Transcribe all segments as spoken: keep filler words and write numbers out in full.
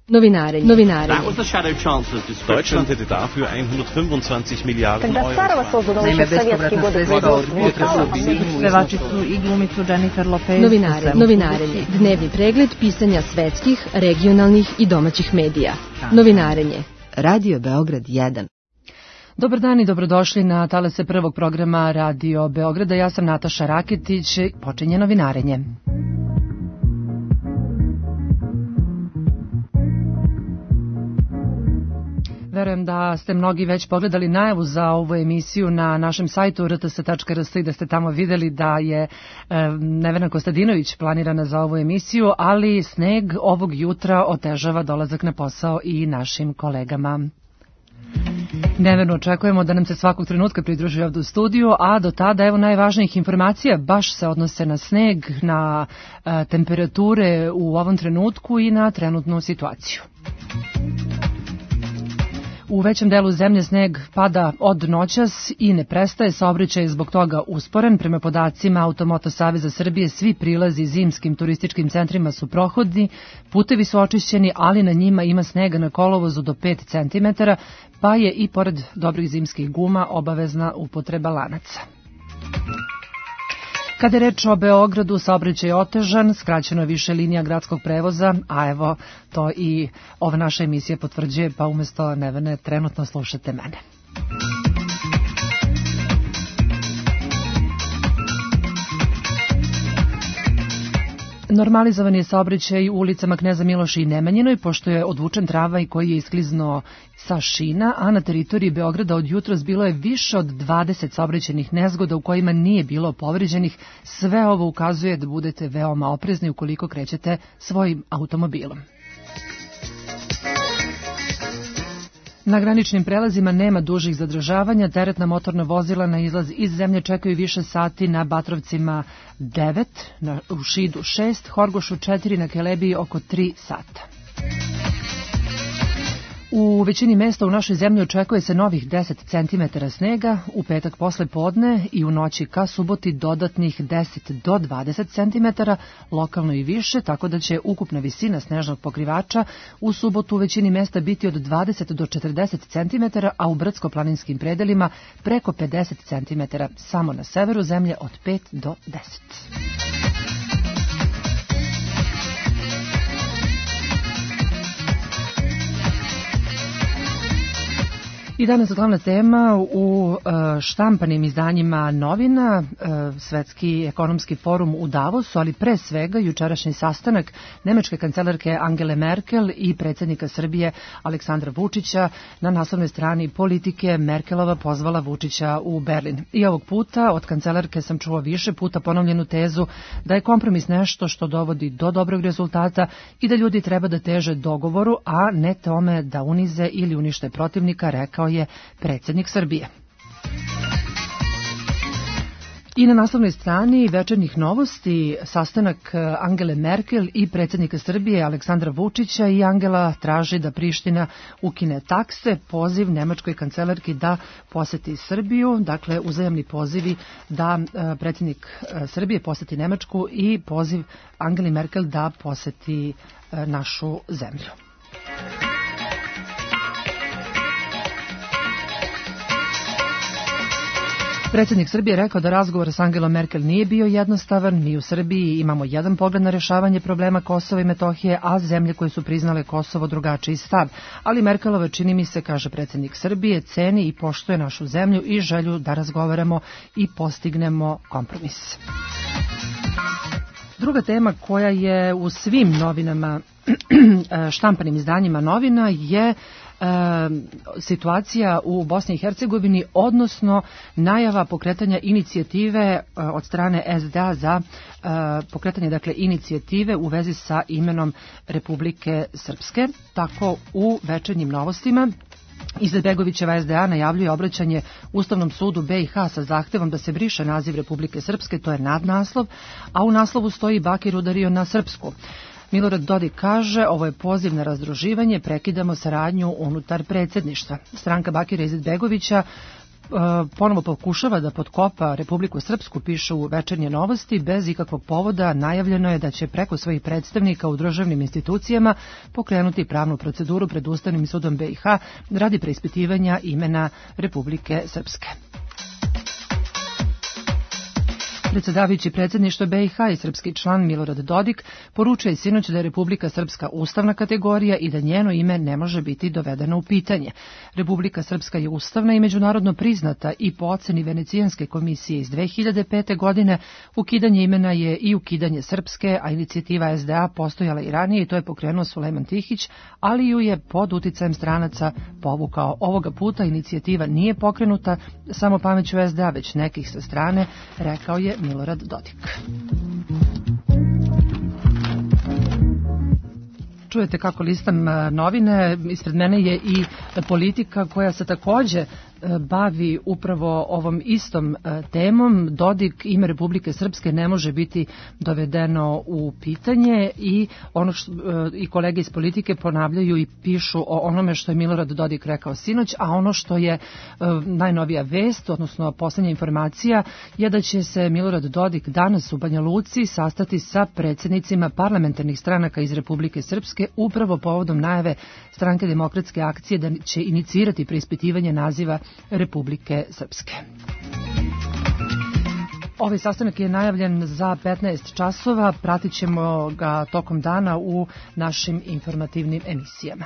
Novinarenje. Novinarenje. Deutschland hätte dafür hundertfünfundzwanzig Miliarden Euro. Naime, bespovratna sredstva od Vutra pevačicu i glumicu Jennifer Lopez. Novinarenje. Novinarenje. Dnevni pregled pisanja svetskih, regionalnih i domaćih medija. Novinarenje. Radio Beograd jedan. Dobar dan i dobrodošli na talase prvog programa Radio Beograda. Ja sam Nataša Raketić. Počinje novinarenje. Verujem da ste mnogi već pogledali najavu za ovu emisiju na našem sajtu r t s tačka r s i da ste tamo videli da je e, Nevena Kostadinović planirana za ovu emisiju, ali sneg ovog jutra otežava dolazak na posao i našim kolegama. Neverno očekujemo da nam se svakog trenutka pridruži ovdje u studiju, a do tada evo najvažnijih informacija baš se odnose na sneg, na e, temperature u ovom trenutku i na trenutnu situaciju. U većem delu zemlje sneg pada od noćas i ne prestaje, saobraćaj je zbog toga usporen. Prema podacima Automoto Saveza Srbije, svi prilazi zimskim turističkim centrima su prohodni, putevi su očišćeni, ali na njima ima snega na kolovozu do pet centimetara, pa je i pored dobrih zimskih guma obavezna upotreba lanaca. Kada je reč o Beogradu, saobraćaj je otežan, skraćeno je više linija gradskog prevoza, a evo to i ova naša emisija potvrđuje, pa umjesto Nevene trenutno slušate mene. Normalizovan je saobraćaj u ulicama Kneza Miloša i Nemanjinoj, pošto je odvučen tramvaj koji je iskliznuo sa šina, a na teritoriji Beograda od jutros bilo je više od dvadeset saobraćajnih nezgoda u kojima nije bilo povređenih. Sve ovo ukazuje da budete veoma oprezni ukoliko krećete svojim automobilom. Na graničnim prelazima nema dužih zadržavanja, teretna motorna vozila na izlaz iz zemlje čekaju više sati na Batrovcima devet, na, u Šidu šest, Horgošu četiri, na Kelebiji oko tri sata. U većini mesta u našoj zemlji očekuje se novih deset centimetara snega, u petak posle podne i u noći ka suboti dodatnih deset do dvadeset centimetara, lokalno i više, tako da će ukupna visina snežnog pokrivača u subotu u većini mesta biti od dvadeset do četrdeset centimetara, a u brdsko-planinskim predelima preko pedeset centimetara, samo na severu zemlje od pet do deset. I danas glavna tema u štampanim izdanjima novina, Svetski ekonomski forum u Davosu, ali pre svega jučerašnji sastanak nemačke kancelarke Angele Merkel i predsjednika Srbije Aleksandra Vučića. Na naslovnoj strani Politike Merkelova pozvala Vučića u Berlin. I ovog puta od kancelarke sam čuo više puta ponovljenu tezu da je kompromis nešto što dovodi do dobrog rezultata i da ljudi treba da teže dogovoru, a ne tome da unize ili unište protivnika, rekao je predsjednik Srbije. I na naslovnoj strani Večernjih novosti sastanak Angele Merkel i predsjednika Srbije Aleksandra Vučića, i Angela traži da Priština ukine takse, poziv nemačkoj kancelarki da poseti Srbiju, dakle uzajamni pozivi da predsjednik Srbije poseti Nemačku i poziv Angeli Merkel da poseti našu zemlju. Predsjednik Srbije rekao da razgovor s Angelom Merkel nije bio jednostavan. Mi u Srbiji imamo jedan pogled na rješavanje problema Kosova i Metohije, a zemlje koje su priznale Kosovo drugačiji stav. Ali Merkelova, čini mi se, kaže predsjednik Srbije, ceni i poštuje našu zemlju i želju da razgovaramo i postignemo kompromis. Druga tema koja je u svim novinama, štampanim izdanjima novina, je E, situacija u Bosni i Hercegovini, odnosno najava pokretanja inicijative e, od strane es de a za e, pokretanje dakle inicijative u vezi sa imenom Republike Srpske. Tako u Večernjim novostima Izetbegovićeva es de a najavljuje obraćanje Ustavnom sudu be i ha sa zahtevom da se briše naziv Republike Srpske, to je nadnaslov, a u naslovu stoji Bakir udario na Srpsku. Milorad Dodik kaže, ovo je poziv na razdruživanje, prekidamo saradnju unutar predsjedništva. Stranka Bakira Izetbegovića ponovo pokušava da potkopa Republiku Srpsku, pišu Večernje novosti, bez ikakvog povoda. Najavljeno je da će preko svojih predstavnika u državnim institucijama pokrenuti pravnu proceduru pred Ustavnim sudom B i H radi preispitivanja imena Republike Srpske. Predsjedavajući predsjedništva B i H i srpski član Milorad Dodik poručuje sinoć da je Republika Srpska ustavna kategorija i da njeno ime ne može biti dovedeno u pitanje. Republika Srpska je ustavna i međunarodno priznata i po oceni Venecijanske komisije iz dve hiljade pete. godine ukidanje imena je i ukidanje Srpske, a inicijativa S D A postojala i ranije i to je pokrenuo Sulejman Tihić, ali ju je pod uticajem stranaca povukao. Ovoga puta inicijativa nije pokrenuta samo pameću S D A, već nekih sa strane, rekao je Milorad Dodik. Čujete kako listam novine, ispred mene je i Politika koja se takođe bavi upravo ovom istom temom. Dodik, ime Republike Srpske ne može biti dovedeno u pitanje i ono što i kolege iz Politike ponavljaju i pišu o onome što je Milorad Dodik rekao sinoć, a ono što je najnovija vest, odnosno poslednja informacija, je da će se Milorad Dodik danas u Banja Luci sastati sa predsjednicima parlamentarnih stranaka iz Republike Srpske upravo povodom najave Stranke demokratske akcije da će inicirati preispitivanje naziva Republike Srpske. Ovaj sastanak je najavljen za petnaest časova, pratit ćemo ga tokom dana u našim informativnim emisijama.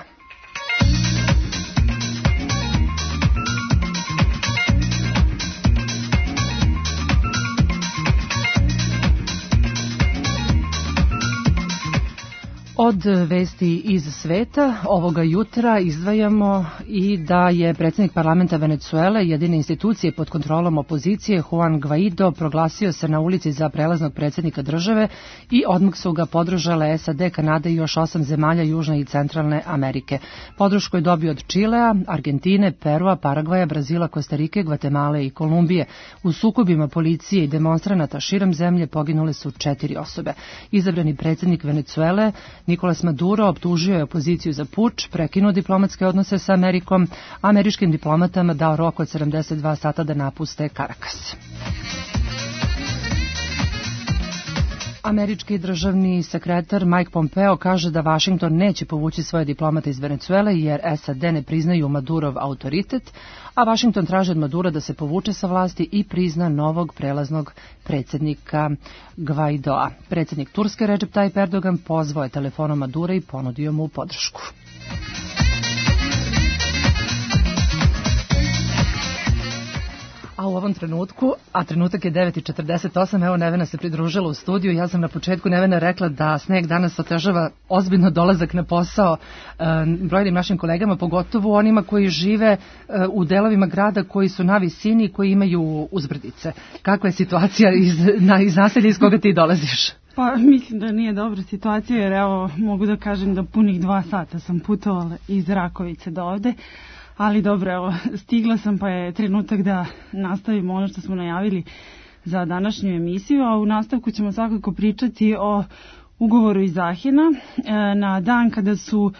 Od vesti iz sveta ovoga jutra izdvajamo i da je predsjednik parlamenta Venecuele, jedine institucije pod kontrolom opozicije, Juan Guaido, proglasio se na ulici za prelaznog predsjednika države i odmah su ga podržale S A D, Kanada i još osam zemalja Južne i Centralne Amerike. Podršku je dobio od Čilea, Argentine, Perua, Paragvaja, Brazila, Kostarike, Gvatemale i Kolumbije. U sukobima policije i demonstranata širom zemlje poginule su četiri osobe. Izabrani predsjednik Venecuele Nicolas Maduro optužio je opoziciju za puč, prekinuo diplomatske odnose sa Amerikom, a američkim diplomatama dao rok od sedamdeset dva sata da napuste Karakas. Američki državni sekretar Mike Pompeo kaže da Vašington neće povući svoje diplomate iz Venecuele jer S A D ne priznaju Madurov autoritet, a Vašington traži od Madura da se povuče sa vlasti i prizna novog prelaznog predsjednika Guaidoa. Predsjednik Turske Recep Tayyip Erdogan pozvao je telefonom Madura i ponudio mu podršku. A u ovom trenutku, a trenutak je devet i četrdeset osam, evo Nevena se pridružila u studiju. Ja sam na početku Nevena rekla da sneg danas otežava ozbiljno dolazak na posao e, brojnim našim kolegama, pogotovo onima koji žive e, u delovima grada koji su na visini i koji imaju uzbrdice. Kakva je situacija iz, na, iz naselja iz koga ti dolaziš? Pa mislim da nije dobra situacija jer evo mogu da kažem da punih dva sata sam putovala iz Rakovice do ovde. Ali dobro, evo, stigla sam pa je trenutak da nastavimo ono što smo najavili za današnju emisiju, a u nastavku ćemo svakako pričati o ugovoru iz Ahena. Na dan kada su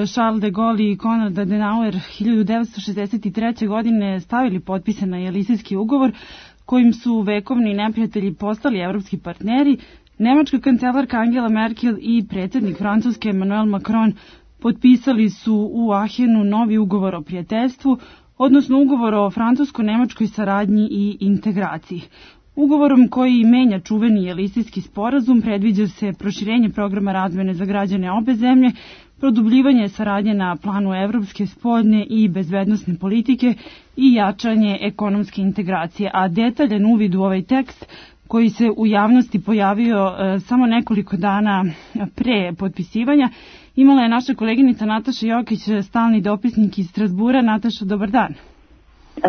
Charles de Gaulle i Konrad Adenauer hiljadu devetsto šezdeset treće. godine stavili potpise na Jelisejski ugovor, kojim su vekovni neprijatelji postali evropski partneri, nemačka kancelarka Angela Merkel i predsjednik Francuske Emmanuel Macron potpisali su u Ahenu novi ugovor o prijateljstvu, odnosno ugovor o francusko-nemačkoj saradnji i integraciji. Ugovorom koji menja čuveni Jelisejski sporazum predviđa se proširenje programa razmene za građane obe zemlje, produbljivanje saradnje na planu evropske spoljne i bezbednosne politike i jačanje ekonomske integracije, a detaljan uvid u ovaj tekst koji se u javnosti pojavio e, samo nekoliko dana pre potpisivanja, imala je naša koleginica Nataša Jokić, stalni dopisnik iz Strasbura. Nataša, dobar dan.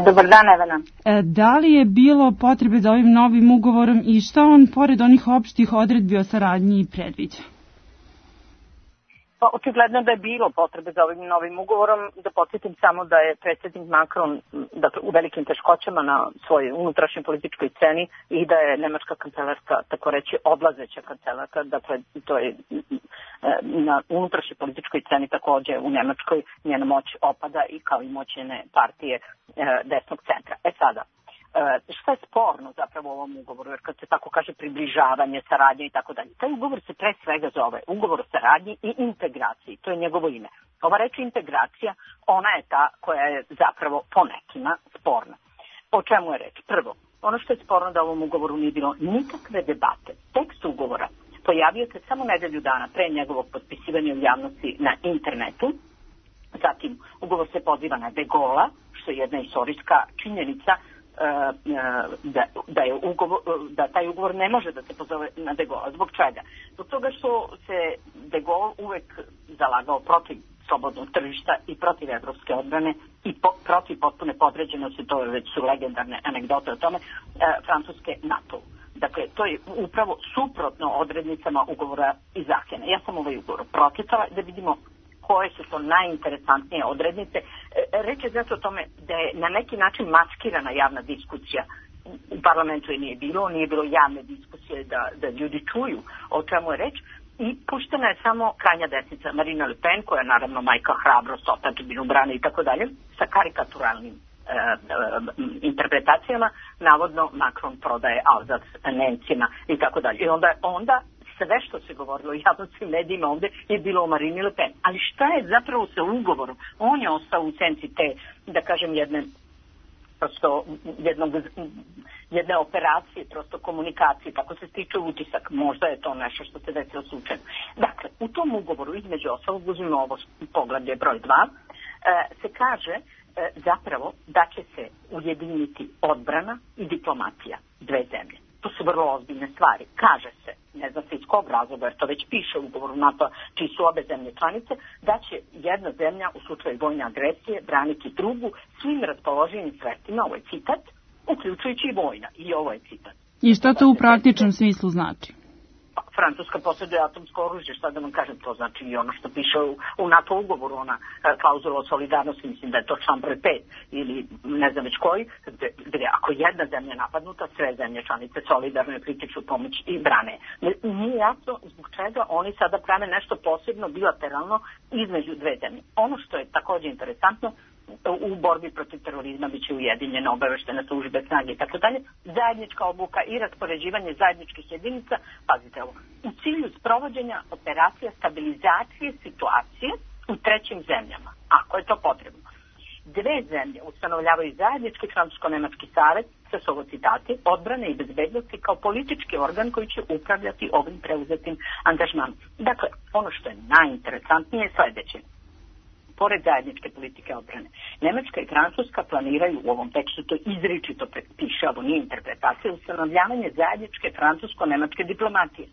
Dobar dan, Evena. E, da li je bilo potrebe za ovim novim ugovorom i šta on, pored onih opštih odredbi o saradnji, predviđa? Pa očigledno da je bilo potrebe za ovim novim ugovorom. Da podsjetim samo da je predsjednik Macron dakle, u velikim teškoćama na svojoj unutrašnjoj političkoj sceni i da je nemačka kancelarska, tako reći, odlazeća kancelarka, dakle to je na unutrašnjoj političkoj sceni također u Nemačkoj njena moć opada i kao i moć njene partije desnog centra. E sada, šta je sporno zapravo u ovom ugovoru, jer kad se tako kaže približavanje, saradnje i tako dalje. Taj ugovor se pre svega zove ugovor o saradnji i integraciji, to je njegovo ime. Ova reč integracija, ona je ta koja je zapravo po nekima sporna. O čemu je reč? Prvo, ono što je sporno da u ovom ugovoru nije bilo nikakve debate. Tekst ugovora pojavio se samo nedelju dana pre njegovog potpisivanja u javnosti na internetu. Zatim, ugovor se poziva na De Gaulea, što je jedna istorijska činjenica, Da, da, je ugovor, da taj ugovor ne može da se pozove na De Gaulea. Zbog čega? Zbog toga što se De Gaulle uvek zalagao protiv slobodnog tržišta i protiv evropske odbrane i po, protiv potpune podređenosti, to već su legendarne anegdote o tome, e, Francuske NATO. Dakle, to je upravo suprotno odrednicama ugovora iz Ahena. Ja sam ovaj ugovor pročitala da vidimo koje su to najinteresantnije odrednice. Reč je zato o tome da je na neki način maskirana javna diskusija. U parlamentu je nije bilo, nije bilo javne diskusije da, da ljudi čuju o čemu je reč i puštena je samo krajnja desnica Marine Le Pen, koja je naravno majka hrabrost, otadžbinu brane i tako dalje, sa karikaturalnim e, e, interpretacijama. Navodno Macron prodaje Alzac Nemcima i tako dalje. I onda, onda sve što se govorilo u javnosti medijima ovde je bilo o Marini Le Pen. Ali šta je zapravo sa ugovorom? On je ostao u senci te, da kažem, jedne prosto jednog, jedne operacije, prosto komunikacije, tako se stiče utisak. Možda je to nešto što se desilo slučajno. Dakle, u tom ugovoru, između ostalog, uzmimo ovo poglavlje broj dva, se kaže zapravo da će se ujediniti odbrana i diplomatija dve zemlje. To su vrlo ozbiljne stvari. Kaže se, ne zna se iz kog razloga, jer to već piše u ugovoru NATO, čiji su obe zemlje članice, da će jedna zemlja u slučaju vojne agresije braniti drugu svim raspoloženim sredstvima, ovo je citat, uključujući i vojna. I ovo je citat. I što to u praktičnom smislu znači? Francuska posjeduje atomsko oružje, šta da vam kažem, to znači i ono što piše u, u NATO ugovoru, ona klauzula o solidarnosti, mislim da je to član broj pet ili ne znam već koji, gde, gde ako jedna zemlja je napadnuta, sve zemlje članice solidarno pritiču pomoć i brane. Nije jasno zbog čega oni sada prave nešto posebno bilateralno između dve zemlje. Ono što je također interesantno, u borbi protiv terorizma biće ujedinjene obaveštene službe, snage i tako dalje, zajednička obuka i raspoređivanje zajedničkih jedinica, pazite ovo, u cilju sprovođenja operacija stabilizacije situacije u trećim zemljama, ako je to potrebno. Dve zemlje ustanovljavaju zajednički francusko-nemački savez, sa su ovo citati, odbrane i bezbednosti kao politički organ koji će upravljati ovim preuzetim angažmanom. Dakle, ono što je najinteresantnije je sledeće. Pored zajedničke politike odbrane, Nemačka i Francuska planiraju u ovom tekstu, to izričito piše, ovo nije interpretacija, ustanovljavanje zajedničke francusko-nemačke diplomatije.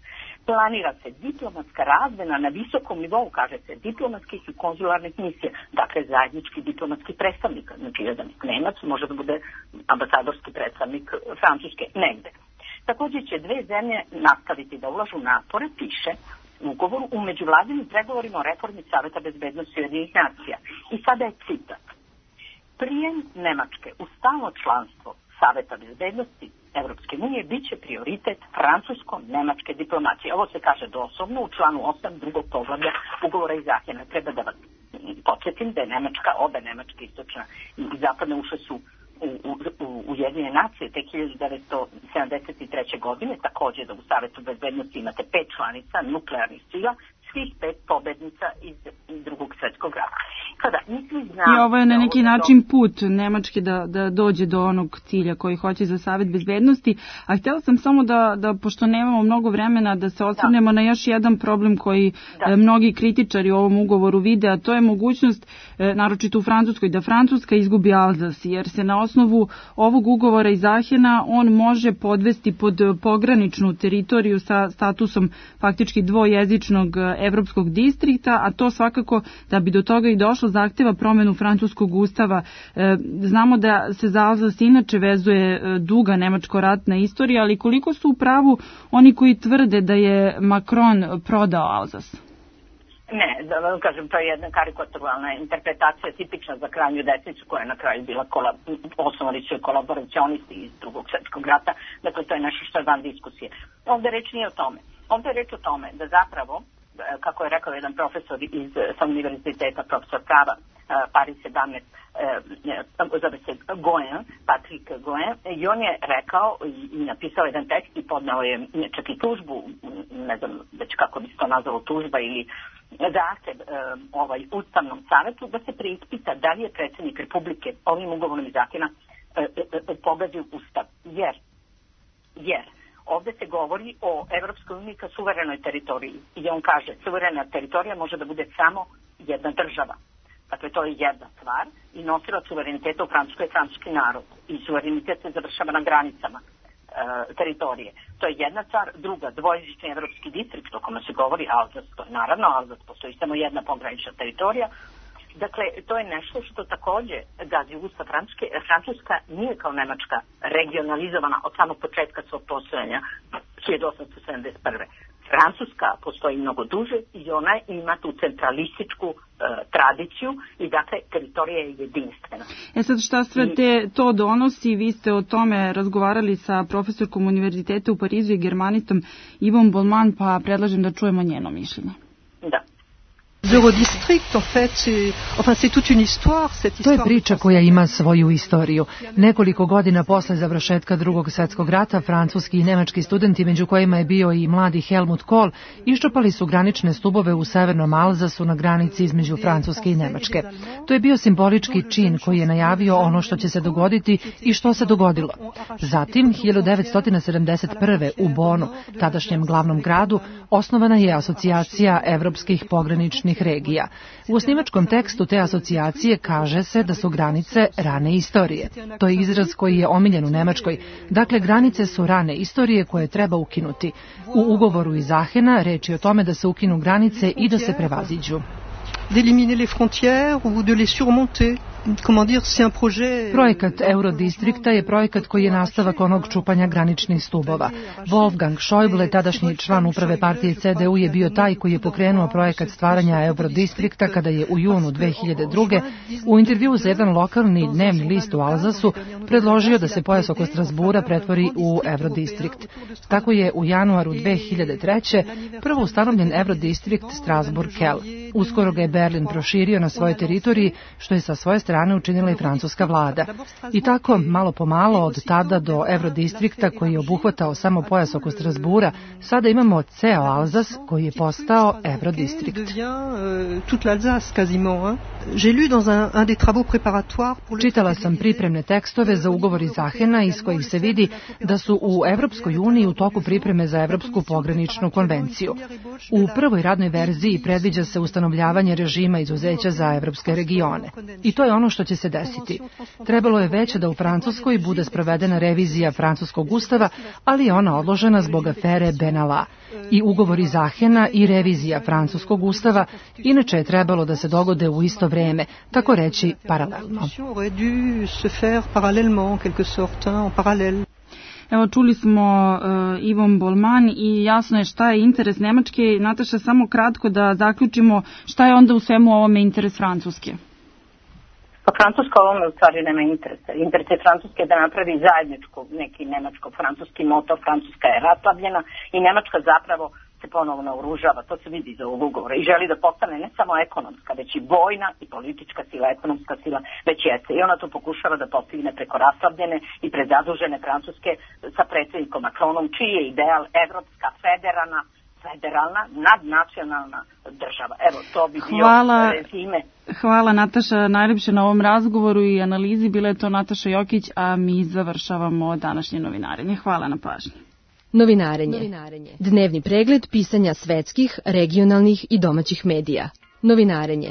Planira se diplomatska razmena na visokom nivou, kaže se, diplomatskih i konzularnih misija, dakle zajednički diplomatski predstavnik, znači jedan Nemac može da bude ambasadorski predstavnik Francuske negde. Također će dve zemlje nastaviti da ulažu napore, piše, ugovoru u međuvladinim pregovorima o reformi Saveta bezbednosti Ujedinjenih nacija. I sada je citat. Prijem Nemačke u stalno članstvo Saveta bezbednosti Evropske unije bit će prioritet francusko-nemačke diplomacije. Ovo se kaže doslovno u članu osam drugog poglavlja ugovora iz Ahena. Treba da vas podsjetim da je Nemačka, obe Nemačke, istočna i zapadne ušle su u, u, u Ujedinjene nacije te hiljadu devetsto sedamdeset treće. godine, također da u Savetu bezbednosti imate pet članica nuklearnih sila, svih pet pobednica iz drugog svjetskog rata. Kada nisi zna... I ovo je na neki način put Nemačke da, da dođe do onog cilja koji hoće za Savet bezbednosti, a htjela sam samo da, da pošto nemamo mnogo vremena, da se osvrnemo da. na još jedan problem koji da. mnogi kritičari u ovom ugovoru vide, a to je mogućnost, naročito u Francuskoj, da Francuska izgubi Alzas, jer se na osnovu ovog ugovora iz Ahena on može podvesti pod pograničnu teritoriju sa statusom faktički dvojezičnog evropskog distrikta, a to svakako da bi do toga i došlo zahteva promenu francuskog ustava. E, znamo da se za Alzas inače vezuje duga nemačko-ratna istorija, ali koliko su u pravu oni koji tvrde da je Macron prodao Alzas? Ne, da vam kažem, to je jedna karikaturalna interpretacija tipična za krajnju desnicu koja je na kraju bila kolab, osnovali su kolaboracionisti iz drugog svjetskog rata, dakle to je nešto što je van diskusije. Ovde reč nije o tome. Ovde je reč o tome da zapravo, kako je rekao jedan profesor iz sa univerziteta, profesor prava Paris sedamnaest, zove se Goen, Patrick Goen, i on je rekao i napisao jedan tekst i podnao je čak i tužbu, ne znam već kako bi se to nazvalo, tužba ili zahtev ovaj Ustavnom savetu da se preispita da li je predsjednik Republike ovim ugovorom iz zakona pogazio Ustav. Jer, jer ovde se govori o Evropskoj uniji kao suverenoj teritoriji i on kaže suverena teritorija može da bude samo jedna država. Dakle, to je jedna stvar i nosilac suvereniteta u Francuskoj je francuski narod i suverenitet se završava na granicama e, teritorije. To je jedna stvar. Druga, dvojezični evropski distrikt o kome se govori, Alzas, to je naravno Alzas, postoji samo jedna pogranična teritorija. Dakle, to je nešto što takođe gazi Ustav Francuske. Francuska nije kao Nemačka regionalizovana od samog početka svog postojanja hiljadu osamsto sedamdeset prve. Francuska postoji mnogo duže i ona ima tu centralističku e, tradiciju i dakle teritorija je jedinstvena. E sad šta sve te, to donosi, vi ste o tome razgovarali sa profesorkom univerziteta u Parizu i germanistom Ivom Bolman, pa predlažem da čujemo njeno mišljenje. Da. Eurodistrict, en fait, c'est, enfin, c'est toute une histoire, cette histoire. To je priča koja ima svoju istoriju. Nekoliko godina posle završetka Drugog svjetskog rata, francuski i nemački studenti, među kojima je bio i mladi Helmut Kohl, iščupali su granične stubove u severnom Alzasu na granici između Francuske i Nemačke. To je bio simbolički čin koji je najavio ono što će se dogoditi i što se dogodilo. Zatim, hiljadu devetsto sedamdeset prve. u Bonu, tadašnjem glavnom gradu, osnovana je asocijacija evropskih pograničnih regija. U osnivačkom tekstu te asocijacije kaže se da su granice rane istorije. To je izraz koji je omiljen u Nemačkoj. Dakle, granice su rane istorije koje treba ukinuti. U ugovoru iz Ahena reč je o tome da se ukinu granice i da se prevaziđu. D'éliminer les frontières ou de les surmonter. Comment dire, c'est un projet... Projekat Eurodistrikta je projekat koji je nastavak onog čupanja graničnih stubova. Wolfgang Schäuble, tadašnji član uprave partije C D U, je bio taj koji je pokrenuo projekat stvaranja Eurodistrikta kada je u junu dve hiljade druge. u intervjuu za jedan lokalni dnevni list u Alzasu predložio da se pojas oko Strasbura pretvori u Eurodistrikt. Tako je u januaru dve hiljade treće. prvo ustanovljen Eurodistrikt Strasbourg-Kel. Uskoro ga je Berlin proširio na svojoj teritoriji, što je sa svoje strane učinila i francuska vlada. I tako, malo po malo, od tada do Eurodistrikta koji je obuhvatao samo pojas oko Strasbura, sada imamo ceo Alzas koji je postao Eurodistrikt. Čitala sam pripremne tekstove za ugovor iz Ahena iz kojih se vidi da su u Evropskoj uniji u toku pripreme za Evropsku pograničnu konvenciju. U prvoj radnoj verziji predviđa se ustanovljavanje režima izuzeća za evropske regione. I to je ono što će se desiti. Trebalo je već da u Francuskoj bude sprovedena revizija francuskog ustava, ali je ona odložena zbog afere Benalla. I ugovor iz Ahena i revizija francuskog ustava inače je trebalo da se dogode u isto vreme, tako reći paralelno. Evo, čuli smo uh, Ivon Bolman i jasno je šta je interes Nemačke. Nataša, samo kratko da zaključimo šta je onda u svemu ovome interes Francuske. Pa Francuska ovome u stvari nema interesa. Interes je Francuske da napravi zajedničku neki nemačko-francuski motor. Francuska je raslavljena i Nemačka zapravo se ponovno naoružava, to se vidi iz ovog ugovora i želi da postane ne samo ekonomska, već i vojna i politička sila, ekonomska sila, već jeste. I ona to pokušava da postigne preko raslavljene i prezadužene Francuske sa predsjednikom Macronom, čiji je ideal evropska, federalna, federalna, nadnacionalna država. Evo, to bi bio Hvala. rezime. Hvala Nataša najljepše na ovom razgovoru i analizi. Bila je to Nataša Jokić, a mi završavamo današnje novinarenje. Hvala na pažnji. Novinarenje. Novinarenje. Dnevni pregled pisanja svetskih, regionalnih i domaćih medija. Novinarenje.